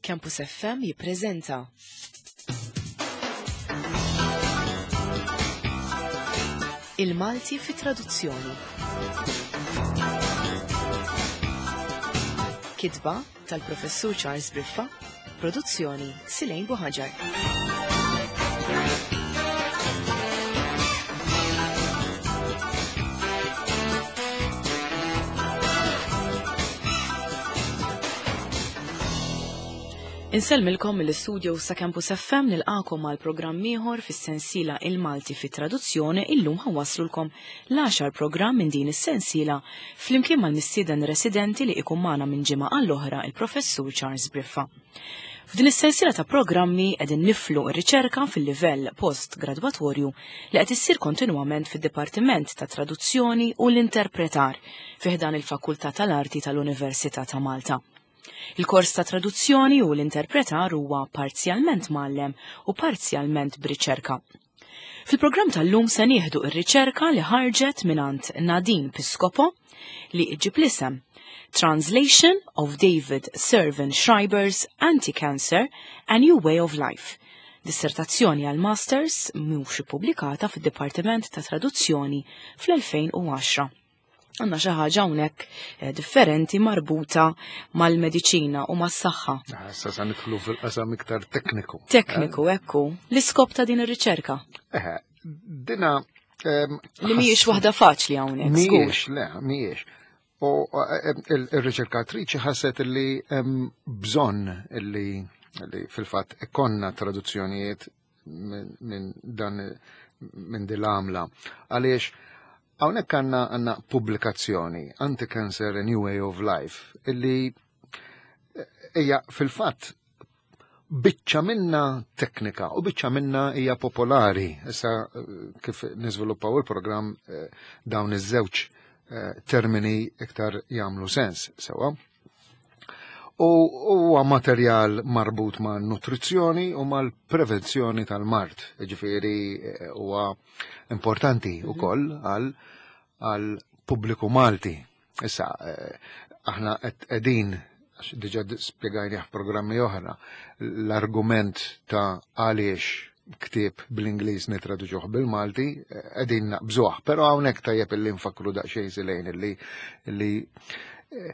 Campus FM jippreżenta Il-Malti fi traduzzjoni. Kitba tal-Professur Charles Briffa, produzzjoni Silejn Buħaġar. Insellmilkom mill-istudio sa Campus FM nilqakom għal programm ieħor fis-sensiela Il-Malti fit traduzzjoni illum ħawaslulkom l-għaxar programm minn din is-sensiela flimkien mal-mistieden residenti li ikun magħna minn ġimgħa għall-oħra il-Professur Charles Briffa. F'din is-sensiela ta' programmi qegħdin niflu r-riċerka fil-livell post-gradwatorju li qed issir kontinwament fid-Dipartiment ta' Traduzzjoni u l-Interpretar fi ħdan il-Fakultà tal-Arti tal-Università ta' Malta. Il-kors ta' traduzzjoni u l-interpretar huwa parzjalment mgħallem u parzjalment b'riċerka. Fil-programm tal-lum se nieħdu r-riċerka li ħarġet mingħand Nadine Piscopo li ġib l-isem Translation of David Servan Schreiber's Anti-Cancer, A New Way of Life. Dissertazzjoni għal Masters mhux ippubblikata fid-Dipartiment ta' Traduzzjoni fl-2010. Għandna xi ħaġa hawnhekk eh, differenti marbuta mal-mediċina u mas-saħħa. Ah, issa sa nidħlu fil-qasam iktar tekniku. Tekniku, eh? ekku. L-iskop ta' din ir-riċerka? Eh, dina ehm, Li mhijiex waħda faċli hawnhekk. Mhijiex, le, mhijiex. U eh, il-riċerkatriċi ħasset li hemm bżonn li fil-fatt ikonna traduzzjonijiet minn dan minn din l-għamla. Għaliex hawnhekk għandna għandna pubblikazzjoni Anti-Cancer A New Way of Life illi eh, hija fil-fatt biċċa minna teknika u biċċa minna hija popolari. Issa eh, kif niżviluppaw il-programm eh, dawn iż-żewġ termini iktar jagħmlu sens sewwa. U huwa materjal marbut ma' nutrizzjoni u mal-prevenzjoni tal-mard. Ġifieri eh, huwa importanti mhm. ukoll għal għal pubbliku Malti. Issa, eh, aħna qegħdin għax diġà spjegajnih programmi oħra, l-argument ta' għaliex ktieb bl-Ingliż nitraduċuh bil-Malti, eh, qegħdin naqbżuh, però hawnhekk tajjeb illi nfakru daqsxejn silejn illi illi eh,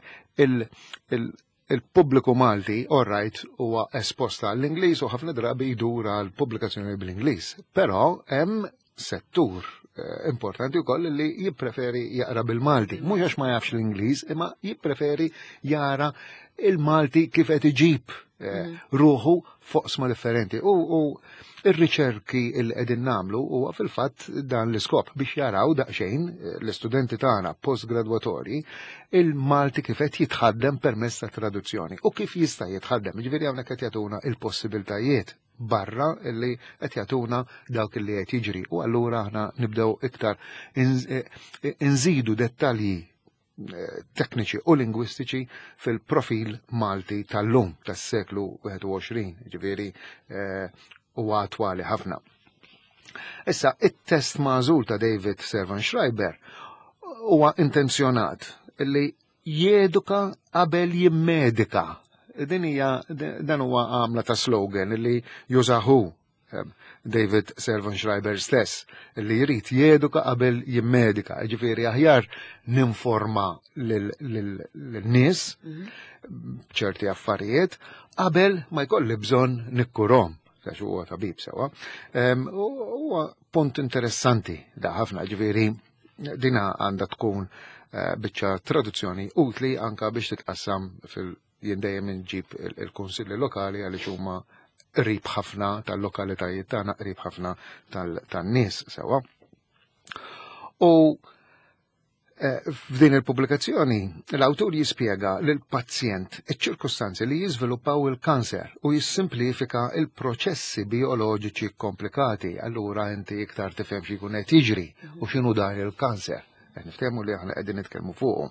il-pubbliku Malti, all right, huwa esposta għall-Ingliż u ħafna drabi jdur għal pubblikazzjoni bl-Ingliż. Però hemm settur eh, importanti wkoll li jippreferi jaqra bil-Malti. Mhux għax ma jafx l-Ingliż, imma jippreferi jara il-Malti kif qed iġib eh, mm. ruħu foqsma differenti. U ir-riċerki li qegħdin nagħmlu huwa fil-fatt dan l-iskop biex jaraw daqsxejn eh, l-istudenti tagħna postgradwatorji il-Malti kif qed jitħaddem permezz ta' traduzzjoni u kif jista' jitħaddem. Ġifieri hawnhekk qed jagħtuna il-possibiltajiet barra li qed jagħtuna dawk li qed jiġri u allura aħna nibdew iktar eh, inżidu dettalji eh, tekniċi u lingwistiċi fil-profil Malti tal-lum tas-seklu 21, ġifieri eh, huwa attwali ħafna. Issa, it-test magħżul ta' David Servan Schreiber huwa intenzjonat li jeduka qabel jimmedika. Din hija dan huwa għamla ta' slogan li jużahu eh, David Servan Schreiber stess li jrid jeduka qabel jimmedika. Ġifieri aħjar ninforma lin-nies mhm. ċerti affarijiet qabel ma jkolli bżonn nikkurhom għax huwa tabib sewa. Huwa punt interessanti da ħafna ġifieri Dina għandha tkun eh, biċċa traduzzjoni utli anka biex titqassam fil jien dejjem inġib il-kunsilli lokali għaliex huma qrib ħafna tal-lokalitajiet tagħna, qrib ħafna tan-nies sewwa. U Eh, f'din il-pubblikazzjoni, l-awtur jispjega lil pazjent iċ-ċirkustanzi li jiżviluppaw il-kanser u jissimplifika il-proċessi bijoloġiċi komplikati. Allura inti iktar tifhem xi jkun qed jiġri u x'inhu dan il-kanser. Qed niftehmu li aħna qegħdin nitkellmu fuqu.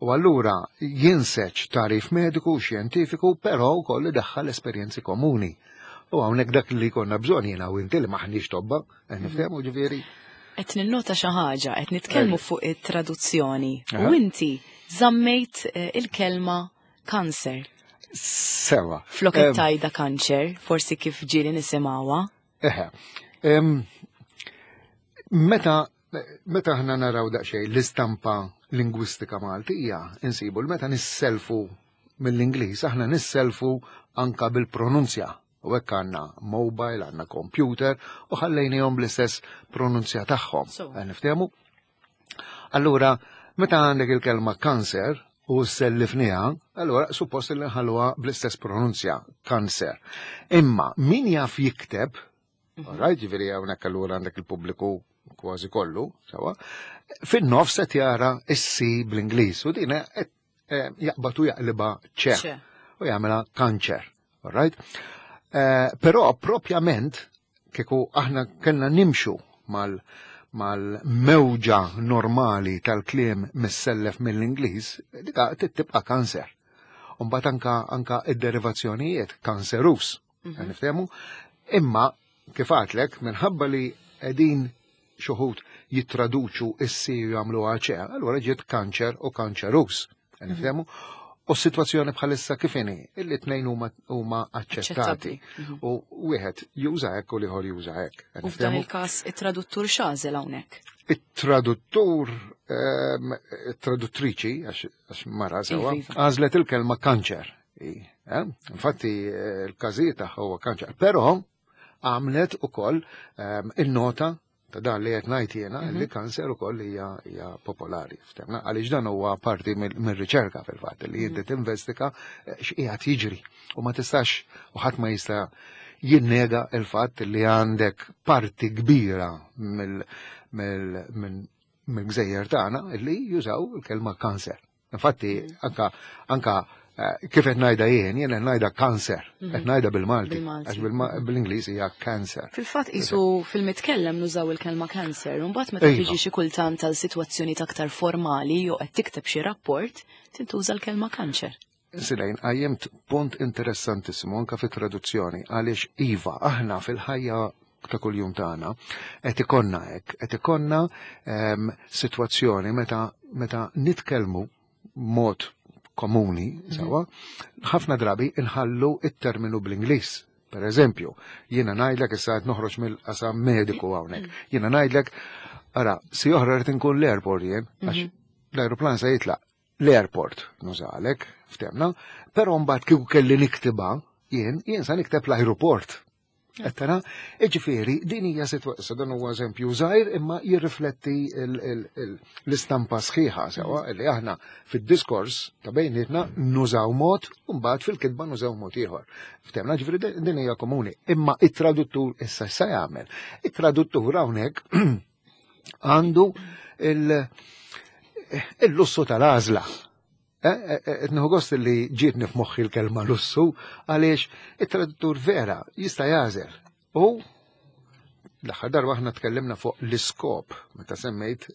U allura jinseġ tarif mediku u xjentifiku, però wkoll idaħħal esperjenzi komuni. U hawnhekk dak li konna bżonn jiena u inti li maħniex tobba, qed niftehmu ġifieri. Qed ninnota xi ħaġa, qed nitkellmu fuq it-traduzzjoni. U inti żammejt eh, il-kelma kanser. Sewa. Flok tajda kanċer, forsi kif ġieli nisimgħuha. Eħe. Meta meta aħna naraw daqsxejn l-istampa lingwistika Maltija, insibu l meta nisselfu mill-Ingliż, aħna nisselfu anka bil-pronunzja. U hekk għandna mobile, għandna computer u ħallejnihom bl-istess pronunzja tagħhom. Niftehmu? Allura, meta għandek il-kelma kanser u sellifniha, allura suppost li nħalluha bl-istess pronunzja, kanser. Imma min jaf jikteb, right, ġifieri hawnhekk allura għandek il-pubbliku kważi kollu, sewa, fin-nofs qed jara s-C bl-Ingliż u din qed jaqbad u jaqliba ċe u jagħmilha kanċer. Right? Però propjament kieku aħna kellna nimxu mal mal-mewġa normali tal-kliem missellef mill-Ingliż, dika tibqa' kanser. Umbagħad anka anka id-derivazzjonijiet kanserus. Niftehmu? Imma kif għatlek, minħabba li qegħdin xuħut jittraduċu is-C u jagħmluha ċe, allura ġiet kanċer u kanċerus. Niftehmu? U s-sitwazzjoni bħalissa kif inhi, illi tnejn huma aċċettati. U wieħed juża hekk u l-ieħor juża hekk. U f'dan il-każ it-traduttur x'għażel hawnhekk? It-traduttur, it-traduttriċi, għax mara sewa, għażlet il-kelma kanċer. Infatti, il-każijiet tagħha huwa kanċer. Però għamlet ukoll il-nota ta' dan li qed ngħid jiena li kanser ukoll hija popolari. Ftemna għaliex dan huwa parti mir-riċerka fil-fatt li inti tinvestiga x'qiegħed jiġri u ma tistax u ħadd ma jista' jinnega il-fatt li għandek parti kbira mill-gżejjer tagħna li jużaw il-kelma kanser. Infatti, anka anka kif qed ngħidha jien, jien qed ngħidha kanser, qed ngħidha bil-Malti, għax bil-Ingliż hija cancer. Fil-fatt isu fil-mitkellem nużaw il-kelma cancer, u mbagħad meta tiġi xi kultant għal sitwazzjoni aktar formali jew qed tikteb xi rapport, tintuża l-kelma kanċer. Silejn, għajjemt punt interessantissimu anka fit-traduzzjoni, għaliex iva, aħna fil-ħajja ta' kuljum tagħna qed ikonna hekk, qed ikonna sitwazzjoni meta nitkellmu mod komuni, sewa, ħafna drabi inħallu it-terminu bl-Ingliż. Per eżempju, jiena ngħidlek issa qed noħroġ mill-qasam mediku hawnhekk. Jiena ngħidlek, ara, si oħra rrid inkun l-airport jien, għax l-aeroplan se jitlaq l-airport nużalek, ftemna, però mbagħad kieku kelli niktiba, jien sa nikteb l-aeroport. Qed tara, ġifieri din hija sitwazzjoni, dan huwa eżempju żgħir imma jirrifletti l-istampa sħiħa sewa li aħna fid-diskors ta' bejnietna nużaw mod u mbagħad fil-kitba nużaw mod ieħor. Ftemna, ġifieri din hija komuni. Imma it-traduttur issa sa jagħmel. It-traduttur hawnhekk għandu il-lussu tal-għażla. Nieħu gost li ġietni f'moħħi l-kelma lussu għaliex it-traduttur vera jista' jagħżel. U l-aħħar darba aħna tkellimna fuq l-iskop, meta semmejt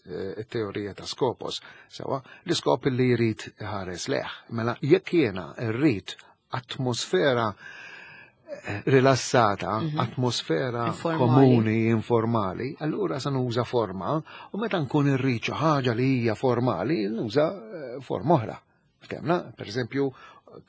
it-teorija ta' skopos, sewa, l-iskop li jrid ħares leħ. Mela jekk jiena rrid atmosfera rilassata, atmosfera komuni, informali, allura sa nuża forma u meta nkun irrid xi ħaġa li hija formali, nuża forma oħra. Ftemna, per eżempju,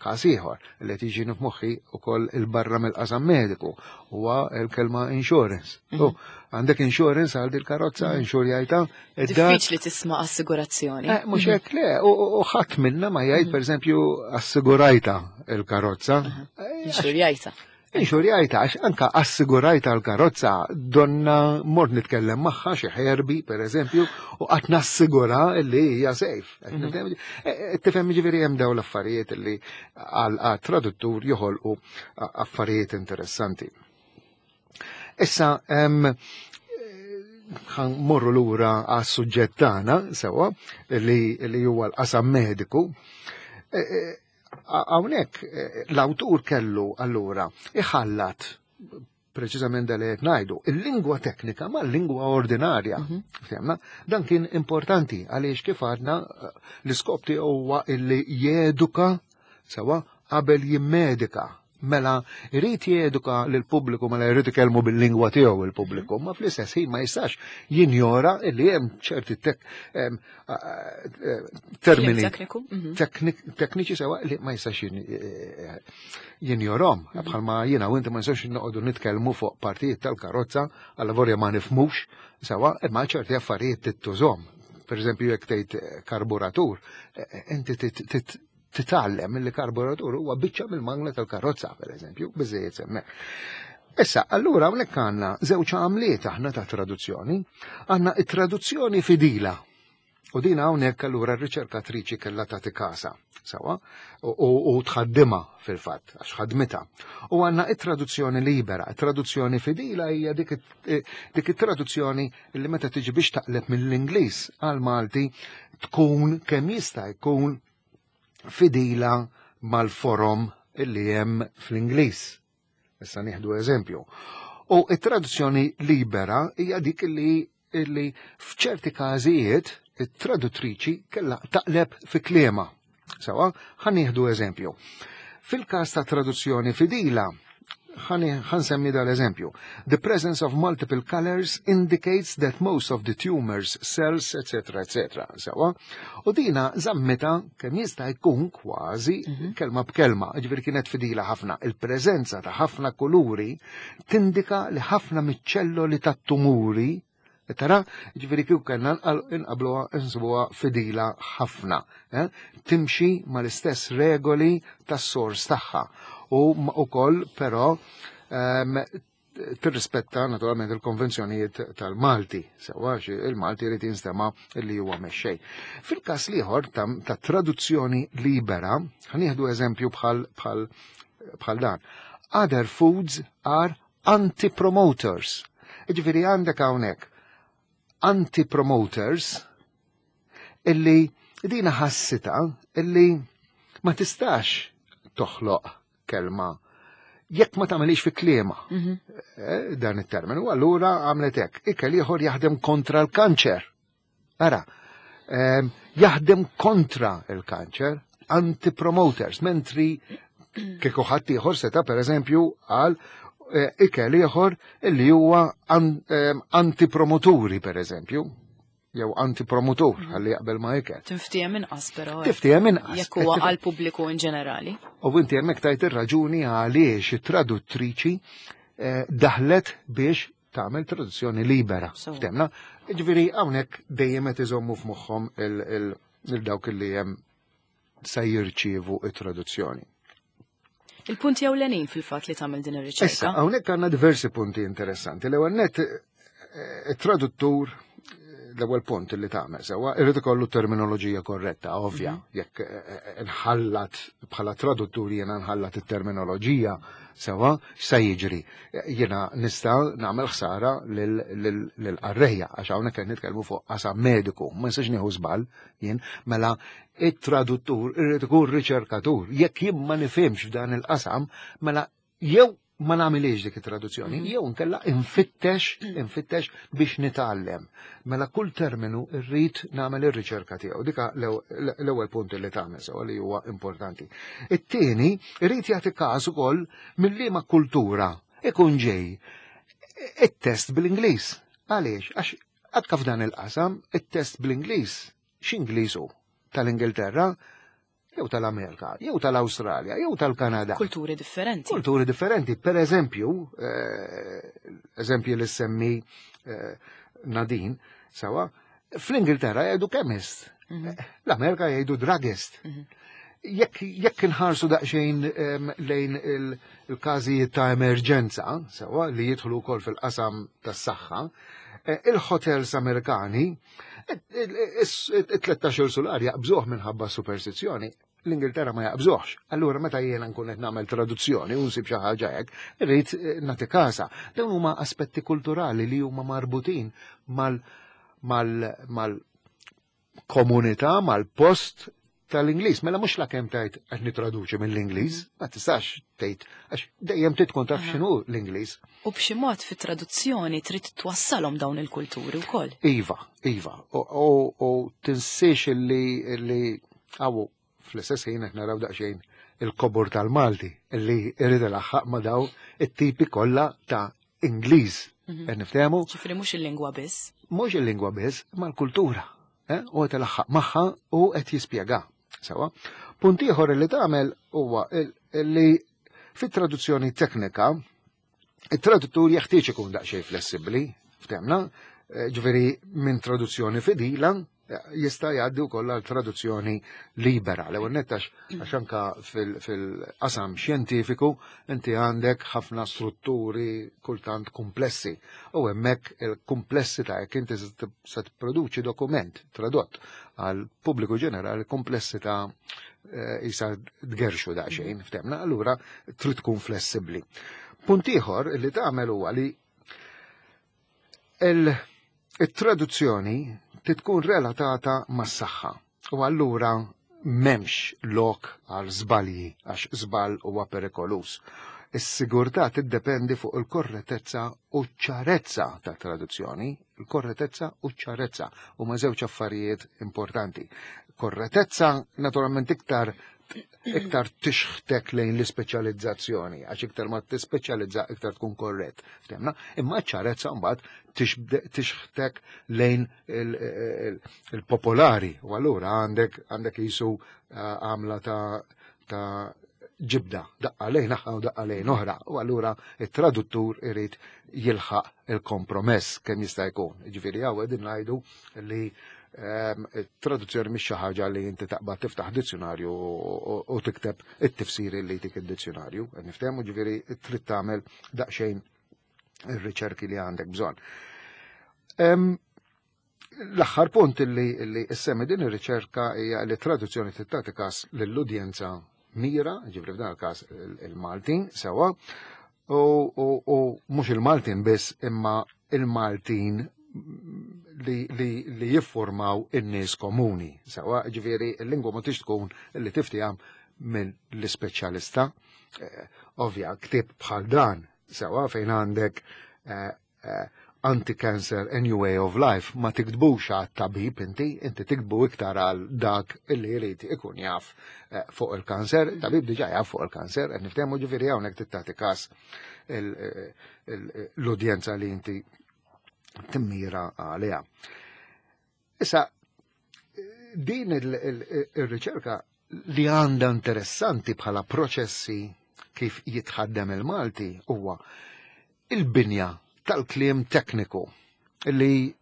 każ ieħor li qed jiġi f'moħħi wkoll il-barra mill-qasam mediku huwa l-kelma insurance. U għandek insurance għal dil-karozza, insurjajta. Diffiċli tisma' assigurazzjoni. Mhux hekk le, u ħadd minna ma jgħid pereżempju assigurajta il-karozza. Insurjajta. Insurjajta, għax anka assigurajta l-karozza donna mort nitkellem magħha xi ħerbi, per eżempju, u qatt nassigura li hija safe. Tifhem ġifieri hemm dawn l-affarijiet li għal traduttur joħolqu affarijiet interessanti. Issa, morru lura għas suġġett tagħna sewwa li huwa l-qasam mediku. Hawnhekk l-awtur kellu allura iħallat preċiżament dal qed ngħidu, il-lingwa teknika ma' l-lingwa ordinarja. Ftemna? Dan kien importanti għaliex kif għadna l-iskop tiegħu huwa illi jeduka sewa qabel jimmedika. Mela jrid jeduka lill-pubbliku mela jrid ikellmu bil-lingwa tiegħu il-pubbliku, ma fl-istess ħin ma jistax jinjora li hemm ċerti termini tekniċi sewa li ma jistax jinjorhom. Bħalma jiena u inti ma nistax noqogħdu nitkellmu fuq partijiet tal-karozza għal vorja ma nifmux sewa, imma ċerti affarijiet tittużhom. Per eżempju, jekk tgħid karburatur, inti titgħallem li karburatur huwa biċċa mill-mangla tal-karozza, per eżempju, biżejjed semmek. Issa, allura hawnhekk għandna żewġ għamliet aħna ta' traduzzjoni. Għandna it-traduzzjoni fidila. U din hawnhekk allura r-riċerkatriċi kellha tagħti kasa, sawa, u tħaddimha fil-fatt, għax ħadmitha. U għandna it-traduzzjoni libera, it-traduzzjoni fidila hija dik it-traduzzjoni li meta tiġi biex taqleb mill-Ingliż għal Malti tkun kemm jista' jkun fidila mal-forom illi hemm fl-Ingliż. Issa nieħdu eżempju. U it-traduzzjoni libera hija dik li illi f'ċerti każijiet it-traduttriċi kellha taqleb fi kliema. Sawa, ħa nieħdu eżempju. Fil-każ ta' traduzzjoni fidila, ħansemmi dal-eżempju. The presence of multiple colors indicates that most of the tumors, cells, etc., etc. Sawa, u dina żammita kemm jista' jkun kważi kelma b'kelma, ġifieri kienet fidila ħafna. Il-preżenza ta' ħafna kuluri tindika li ħafna miċ-ċelloli tat-tumuri Tara, ġifieri kieku kellna inqabluha insibuha fidila ħafna. Eh? Timxi mal-istess regoli tas-sors tagħha. U wkoll però tirrispetta naturalment il-konvenzjonijiet tal-Malti, sewa il-Malti jrid jinstema' li huwa mexxej. Fil-każ l-ieħor ta' traduzzjoni libera, ħanieħdu eżempju bħal bħal bħal dan. Other foods are anti-promoters. Ġifieri għandek hawnhekk anti-promoters illi dina ħassita illi ma tistax toħloq kelma jekk ma tagħmelix fi kliema dan it-terminu, allura għamlet hekk. Ikel ieħor jaħdem kontra l-kanċer. Ara, jaħdem kontra l-kanċer, anti-promoters, mentri kieku ħadd ieħor seta' pereżempju għal ikel ieħor illi huwa anti-promoturi pereżempju, jew anti-promotur ħalli jaqbel ma' ikel. Tinftiehem inqas però. Tiftiehem inqas. Jekk huwa għal pubbliku in ġenerali. U inti hemmhekk tajt ir-raġuni għaliex it-traduttriċi daħlet biex tagħmel traduzzjoni libera. Ftemna? Ġifieri hawnhekk dejjem qed iżommu f'moħħhom il-dawk li hemm se jirċievu it-traduzzjoni. Il-punti ewlenin fil-fatt li tagħmel din ir-riċerka. Issa, hawnhekk għandna diversi punti interessanti. L-ewwel net it-traduttur l-ewwel punt li tagħmel sewwa irid ikollu terminoloġija korretta, ovvja, jekk nħallat bħala traduttur jiena nħallat it-terminoloġija sewwa x'se jiġri. Jiena nista' nagħmel ħsara lill-qarrejja għax hawnhekk qed nitkellmu fuq qasam mediku, ma nistax nieħu żball jien, mela it-traduttur irid ikun riċerkatur. Jekk jien ma nifhimx f'dan il-qasam, mela jew ma nagħmilix dik it-traduzzjoni, jew nkella infittex biex nitgħallem. Mela kull terminu rrid nagħmel ir-riċerka tiegħu. Dika l-ewwel punt li tagħmel sewa li huwa importanti. It-tieni irid jagħti każ ukoll mill-liema kultura ikun ġej it-test bl-Ingliż. Għaliex? Għax anke f'dan il-qasam it-test bl-Ingliż x'Ingliż hu? Tal-Ingilterra, jew tal-Amerika, jew tal-Awstralja, jew tal-Kanada. Kulturi differenti. Kulturi differenti. Per eżempju, eżempju li semmi Nadine, sawa, fl-Ingilterra jgħidu chemist, l-Amerika jgħidu druggist. Jekk inħarsu daqsxejn lejn il-każijiet ta' emerġenza, sawa, li jidħlu wkoll fil-qasam tas-saħħa, il-hotels Amerikani, it-13 sular jaqbżuh minħabba superstizzjoni, l-Ingilterra ma jaqbżuhx. Allura meta jiena nkun qed nagħmel traduzzjoni u nsib xi ħaġa hekk, irrid nagħti kasa. Dawn huma aspetti kulturali li huma marbutin mal-komunità, mal-post tal-Ingliż. Mela mhux la kemm tgħid qed nitraduċi mill-Ingliż, ma tistax tgħid għax dejjem trid tkun taf x'inhu l-Ingliż. U b'xi mod fit-traduzzjoni trid twassalhom dawn il-kulturi wkoll. Iva, iva. U tinsiex illi għawu fl-istess ħin qed naraw daqsxejn il-kobor tal-Malti li jrid ilaħħaq ma' daw it-tipi kollha ta' Ingliż. Qed niftehmu? Ġifieri mhux il-lingwa biss. Mhux il-lingwa biss, ma l-kultura. Eh? U qed ilaħħaq magħha u qed jispjega. Sewa. Punt ieħor li tagħmel huwa li fit-traduzzjoni teknika it-traduttur jeħtieġ ikun daqsxejn flessibbli, ftemna, ġifieri minn traduzzjoni fidila jista' jgħaddi wkoll għal traduzzjoni libera. L-ewwel nett għax anka fil-qasam xjentifiku inti għandek ħafna strutturi kultant komplessi u hemmhekk il-komplessità jekk inti se tipproduċi dokument tradott għal pubbliku ġenerali komplessità jisa tgerxu daqsxejn, ftemna, allura trid tkun flessibbli. Punt ieħor li tagħmel huwa li il-traduzzjoni titkun relatata mas-saħħa u allura m'hemmx lok għal żbalji għax żball huwa perikolus. Is-sigurtà tiddependi fuq il-korrettezza u ċ-ċarezza ta' traduzzjoni, il-korrettezza u ċ-ċarezza huma żewġ affarijiet importanti. Korrettezza naturalment iktar iktar tixħtek lejn l-ispeċjalizzazzjoni, għax iktar ma tispeċjalizza iktar tkun korrett. Ftemna? Imma ċarezza mbagħad tixħtek lejn il-popolari u allura għandek jisu għamla ta' ġibda, daqqa lejn naħa u daqqa lejn oħra, u allura it-traduttur irid jilħaq il-kompromess kemm jista' jkun. Ġifieri hawn qegħdin ngħidu li traduzzjoni mhix xi ħaġa li inti taqbad tiftaħ dizzjonarju u tikteb it-tifsiri li jtik id-dizzjonarju. Niftehmu, ġifieri trid tagħmel daqsxejn ir-riċerki li għandek bżonn. L-aħħar punt li issemmi din ir-riċerka hija li traduzzjoni tagħti każ lill-udjenza mira, ġifieri f'dan il-każ il-Maltin sewwa, u mhux il-Maltin biss imma il-Maltin li jiffurmaw in-nies komuni. Sewwa, ġifieri il-lingwa ma tix tkun li tiftiham minn l-ispeċjalista. Ovvja, ktieb bħal dan, sewwa, fejn għandek anti-cancer a new way of life, ma tiktbux għat tabib inti tiktbu iktar għal dak illi jrid ikun jaf fuq il-kanser, tabib diġà jaf fuq il-kanser, qed niftehmu, ġifieri hawnhekk tagħti każ l-udjenza li inti timmira għaliha. Issa, din il-riċerka li għandha interessanti bħala proċessi kif jitħaddem il-Malti huwa il-binja tal-kliem tekniku li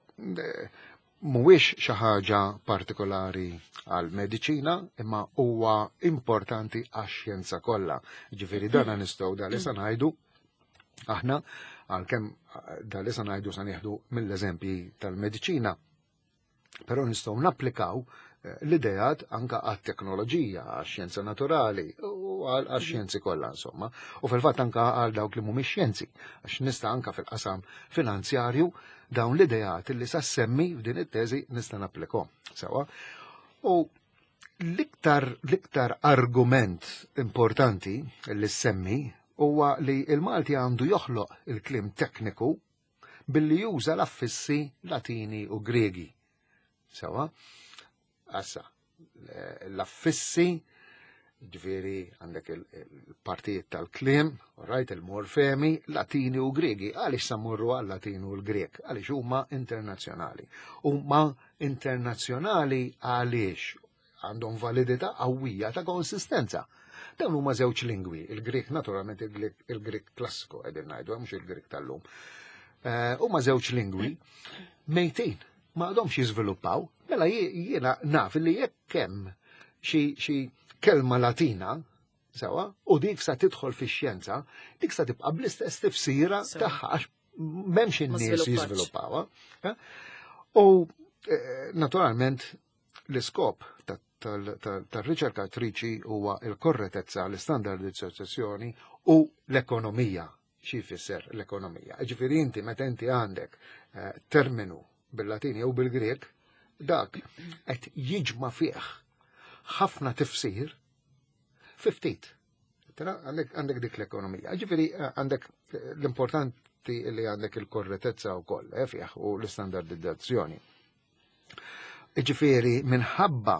mhuwiex xi ħaġa partikolari għal mediċina imma huwa importanti għax-xjenza kollha. Ġifieri dana nistgħu da li sa ngħidu aħna għalkemm da li sa ngħidu sa nieħdu mill-eżempji tal-mediċina. Però nistgħu napplikaw l-idejat anka għat-teknoloġija, għax-xjenza naturali u għax-xjenzi kollha insomma. U fil-fatt anka għal dawk li mhumiex xjenzi, għax nista' anka fil-qasam finanzjarju dawn l-idejat li sa semmi f'din it-teżi nista' napplikhom. Sewa. U l-iktar argument importanti li semmi huwa li il-Malti għandu joħloq il-kliem tekniku billi juża l-affissi Latini u Gregi. Sewa, assa, l-affissi, ġifieri għandek il-partijiet tal-kliem, right, il-morfemi, Latini u Gregi. Għaliex sammurru għal Latini u l-Grek? Għaliex huma internazzjonali. Huma internazzjonali għaliex għandhom validità qawwija ta' konsistenza. Dawn huma żewġ lingwi, il-Grek naturalment il-Grek klassiku qegħdin ngħidu, mhux il-Grek tal-lum. Huma żewġ lingwi mejtin, ma għadhomx jiżviluppaw, mela jiena naf li jekk hemm xi kelma Latina, sewa, u dik sa tidħol fix-xjenza, dik sa tibqa' bl-istess tifsira tagħha għax m'hemmx Ma in-nies żviluppax. jiżviluppawha. U naturalment l-iskop tar-riċerkatriċi huwa l-korrettezza, l-istandardizzazzjoni u l-ekonomija. Xi jfisser l-ekonomija? Ġifieri inti meta inti għandek terminu bil-Latin jew bil-Grek, dak qed jiġma' fih ħafna tifsir fi ftit. Tara, għandek dik l-ekonomija. Ġifieri għandek l-importanti li għandek il-korrettezza wkoll fih u l-istandardizzazzjoni. Ġifieri minħabba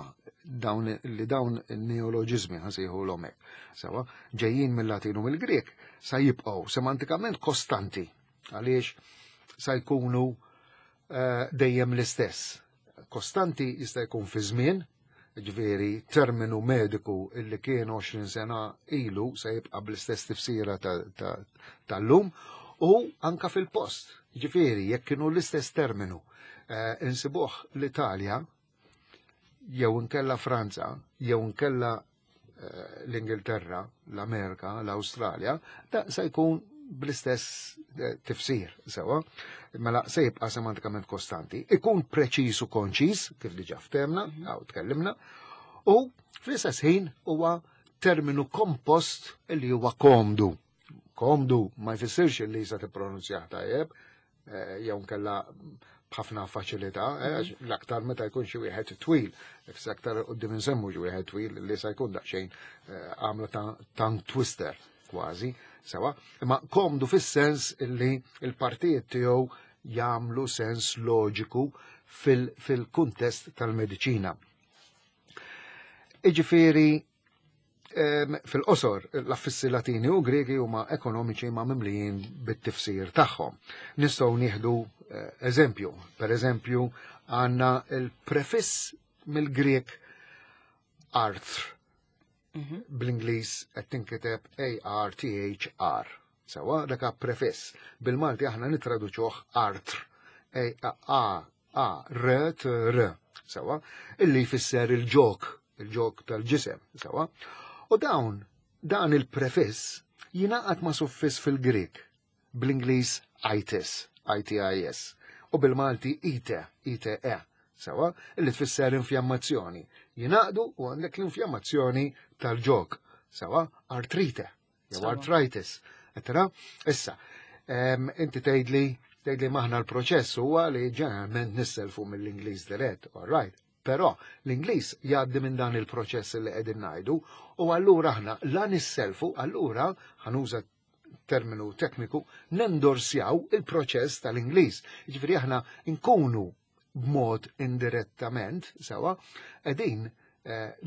dawn li dawn neoloġizmi ħasejħu l-omek. Sewa, ġejjin mill-Latin u mill-Grek sa jibqgħu semantikament kostanti għaliex sa jkunu dejjem l-istess. Kostanti jista' jkun fi żmien, ġifieri terminu mediku illi kien 20 sena ilu se jibqa' bl-istess tifsira tal-lum u anka fil-post. Ġifieri jekk kienu l-istess terminu insibuh l-Italja jew inkella Franza jew inkella l-Ingilterra, l-Amerika, l-Awstralja, da se jkun bl-istess tifsir, sewa, mela se jibqa' semantikament kostanti, ikun preċiż u konċiż, kif diġà ftemna, għaw tkellimna, u fl-istess ħin huwa terminu kompost li huwa komdu. Komdu ma jfissirx li sa tippronunzjah tajjeb, jew nkella b'ħafna faċilità, għax l-aktar meta jkun xi wieħed twil, fis aktar qudiem insemmu xi wieħed twil li sa jkun daqsxejn għamla ta' tongue twister kważi, sewa, imma komdu fis-sens illi il-partijiet tiegħu jagħmlu sens loġiku fil-kuntest tal-mediċina. Iġifieri fil-qosor, l-affissi Latini u Greki huma ekonomiċi ma mimlijin bit-tifsir tagħhom. Nistgħu nieħdu eżempju. Per eżempju, għandna il-prefiss mill-Grek arthr. Bl-Ingliż qed tinkiteb A-R-T-H-R. Sewa, dak prefiss. Bil-Malti aħna nitraduċuh arthr. A A R T R. Sewa, illi jfisser il-ġok, il-ġok tal-ġisem, sewa. U dan il-prefiss jingħaqad ma' suffiss fil-Grek, bl-Ingliż itis, I-T-I-S, u bil-Malti ite, I-T-E, sewa, illi tfisser infjammazzjoni. Jingħaqdu u għandek l-infjammazzjoni tal-ġok, sewa, artrite, jew arthritis. Etra, issa, inti tgħidli maħna l-proċess huwa li ġeneralment nisselfu mill-Ingliż dirett, all right. Però l-Ingliż jgħaddi minn dan il-proċess li qegħdin ngħidu u allura aħna la nisselfu, allura ħanuża terminu tekniku, nendorsjaw il-proċess tal-Ingliż. Jiġifieri aħna nkunu b'mod indirettament, sewa, qegħdin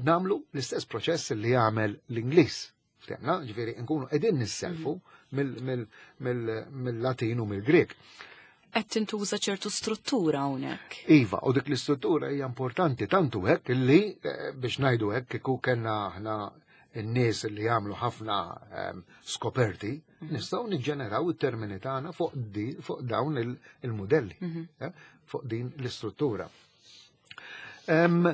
namlu l-istess proċess li jagħmel l-Ingliż. Ftemna, ġifieri nkunu qegħdin nisselfu mill-Latin u mill-Grek. Qed tintuża ċertu struttura hawnhekk. Iva, u dik l-istruttura hija importanti tantu hekk illi biex ngħidu hekk kieku kellna aħna n-nies li jagħmlu ħafna skoperti, nistgħu niġġeneraw it-termini tagħna fuq dawn il-modelli, fuq din l-istruttura. Hemm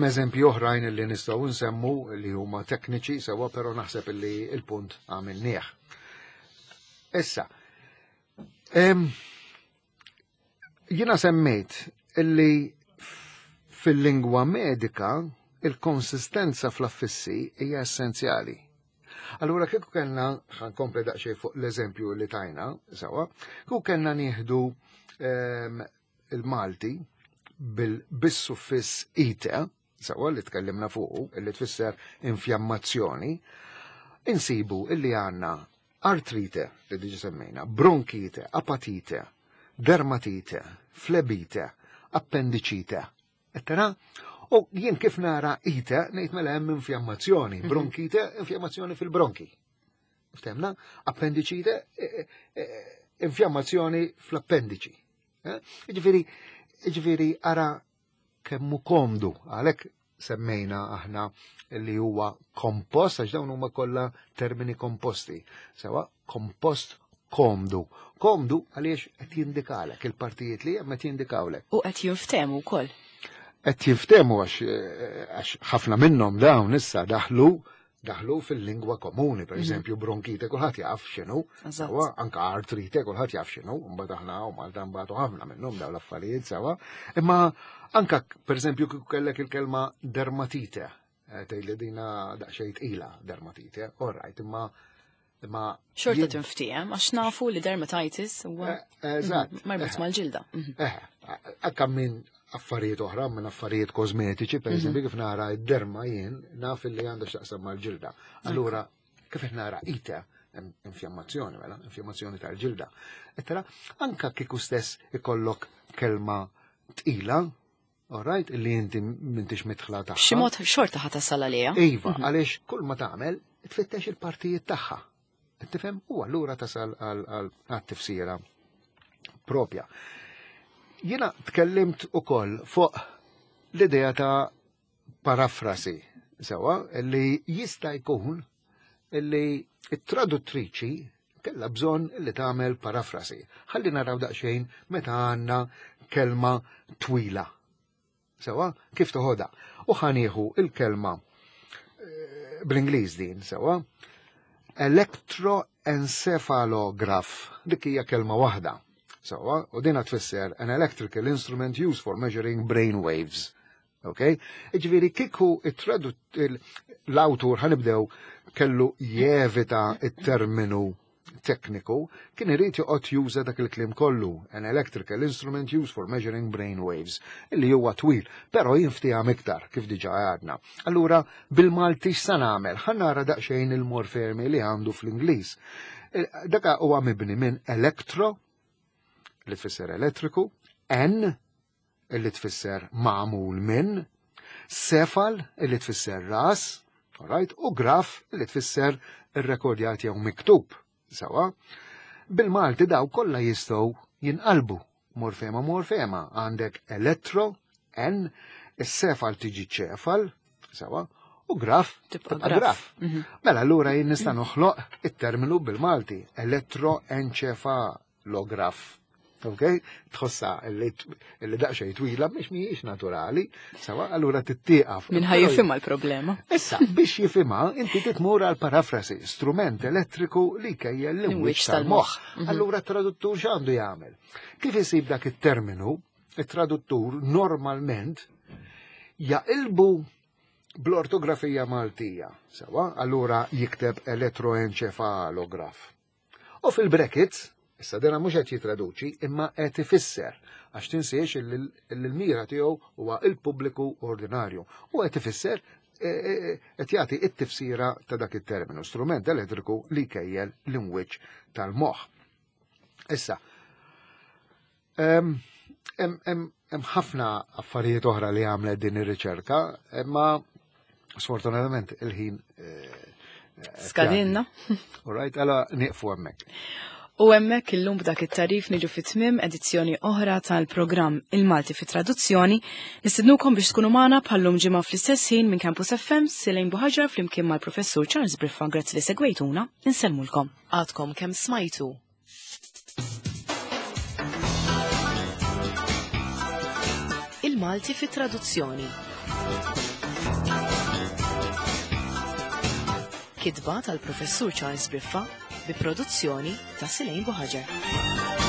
eżempji oħrajn li nistgħu nsemmu li huma tekniċi sewwa, però naħseb li il-punt għamilnieh. Issa, jiena semmejt illi fil-lingwa medika il-konsistenza fl-affissi hija essenzjali. Allura kieku kellna, ħankompli daqsxejn fuq l-eżempju li tajna, sewwa, kieku kellna nieħdu il-Malti bis-suffiss ite, sewwa li tkellimna fuqu, illi tfisser infjammazzjoni, insibu illi għandna artrite, li diġi semmejna, bronkite, apatite, dermatite, flebite, appendicite, eccetera. U jien kif nara ite, ngħid mela hemm infjammazzjoni, bronkite, infjammazzjoni fil-bronki. Ftemna? Appendicite, infjammazzjoni fl-appendiċi. Ġifieri ara kemmu komdu, għalhekk semmejna aħna li huwa kompost, għax dawn huma kollha termini komposti. Sewa, kompost komdu. Komdu għaliex qed jindikalek il-partijiet li hemm qed jindikawlek. U qed jinftehmu wkoll. Qed jinftehmu għax ħafna minnhom dawn issa daħlu fil-lingwa komuni, per eżempju bronkite kulħadd jaf x'inhu, sewa, anka artrite kulħadd jaf x'inhu, mbagħad aħna u Malta mbagħad ħafna minnhom dawn l-affarijiet sewa. Imma anka per eżempju kieku kellek il-kelma dermatite, tgħidli dina daqsxejn tqila dermatite, all right, imma Xorta tinftiehem għax nafu li dermatitis huwa Eżatt. Marbut mal-ġilda. Anka minn affarijiet oħra, minn affarijiet kosmetiċi, per eżempju, kif nara id-derma jien, naf li għandha x'taqsam mal-ġilda. Allura, kif qed nara ite, infjammazzjoni, mela, infjammazzjoni tal-ġilda. Ettera, anka kieku stess ikollok kelma tqila, Alright, li inti m'intix mitħla tagħha. B'xi mod xorta ħa tasal għaliha. Iva, mhm. għaliex kull ma tagħmel tfittex il-partijiet tagħha. Tifhem? U allura tasal għal-tifsira propja. Jiena tkellimt ukoll fuq l-idea ta' parafrasi, sewa, li jista' jkun li t-traduttriċi kellha bżonn li tagħmel parafrasi. Ħalli naraw daqsxejn meta għandna kelma twila. Sewa, kif toħodha? U ħanieħu il-kelma eh, bl-Ingliż din, sewa. Electroencephalograph, dik hija kelma waħda. Sewa, u dina tfisser an electrical instrument used for measuring brain waves. Ok? Ġifieri kieku l-awtur ħanibdew kellu jevita it-terminu tekniku, kien irid joqgħod juża dak il-kliem kollu, an electrical instrument used for measuring brain waves, illi huwa twil, però jinftiham iktar kif diġà għadna. Allura bil-Malti x'sa nagħmel? Ħa nara daqsxejn il-morfemi li għandu fl-Ingliż. Eh, Daka huwa mibni minn elektro, li tfisser elettriku, en, illi tfisser magħmul minn, sefal illi tfisser ras, alright, u graf illi tfisser irrekordjat jew miktub. Sawa, bil-Malti daw kollha jistgħu jinqalbu morfema morfema għandek elettro, n, is-sefal tiġi ċefal, sawa, u graf tibqa' graf. Mhm. Mela allura jien nista' noħloq it-terminu bil-Malti, elettroenċefalograf. Ok? Tħossa li daqsxejn twila biex mhijiex naturali, sawa allura tittieqaf. Min ħaj jifhimha l-problema. Issa, biex jifhimha, inti titmur għal parafrasi, strument elettriku li jkejjel l-imwiċ tal-moħħ. Mhm. Allura t-traduttur x'għandu jagħmel? Kif isib dak it-terminu, it-traduttur normalment jaqilbu bl-ortografija Maltija, sawa, allura jikteb elettroenċefalograf. U fil-brackets, issa dena mhux qed jitraduċi imma qed ifisser għax tinsiex l-mira tiegħu huwa il-pubbliku ordinarju u qed ifisser e, e, e, qed jagħti it-tifsira ta' dak it-terminu, strument elettriku li jkejjel l-imwiċċ tal-moħħ. Issa, hemm ħafna affarijiet oħra li għamlet din ir-riċerka, imma sfortunatament il-ħin eh, skadinna. All right, għala nieqfu hemmhekk. U hemmhekk illum b'dak it-tarif niġu fit tmiem edizzjoni oħra tal-programm Il-Malti fi Traduzzjoni. Nistednukom biex tkunu magħna bħallum ġimgħa fl-istess ħin minn Campus FM Silejn Buħaġar flimkien mal-Professur Charles Briffa. Grazzi li segwejtuna, insellmulkom. Għadkom kemm smajtu Il-Malti fi traduzzjoni. Kitba tal-Professur Charles Briffa bi produzzjoni ta' Silejn Buħaġar.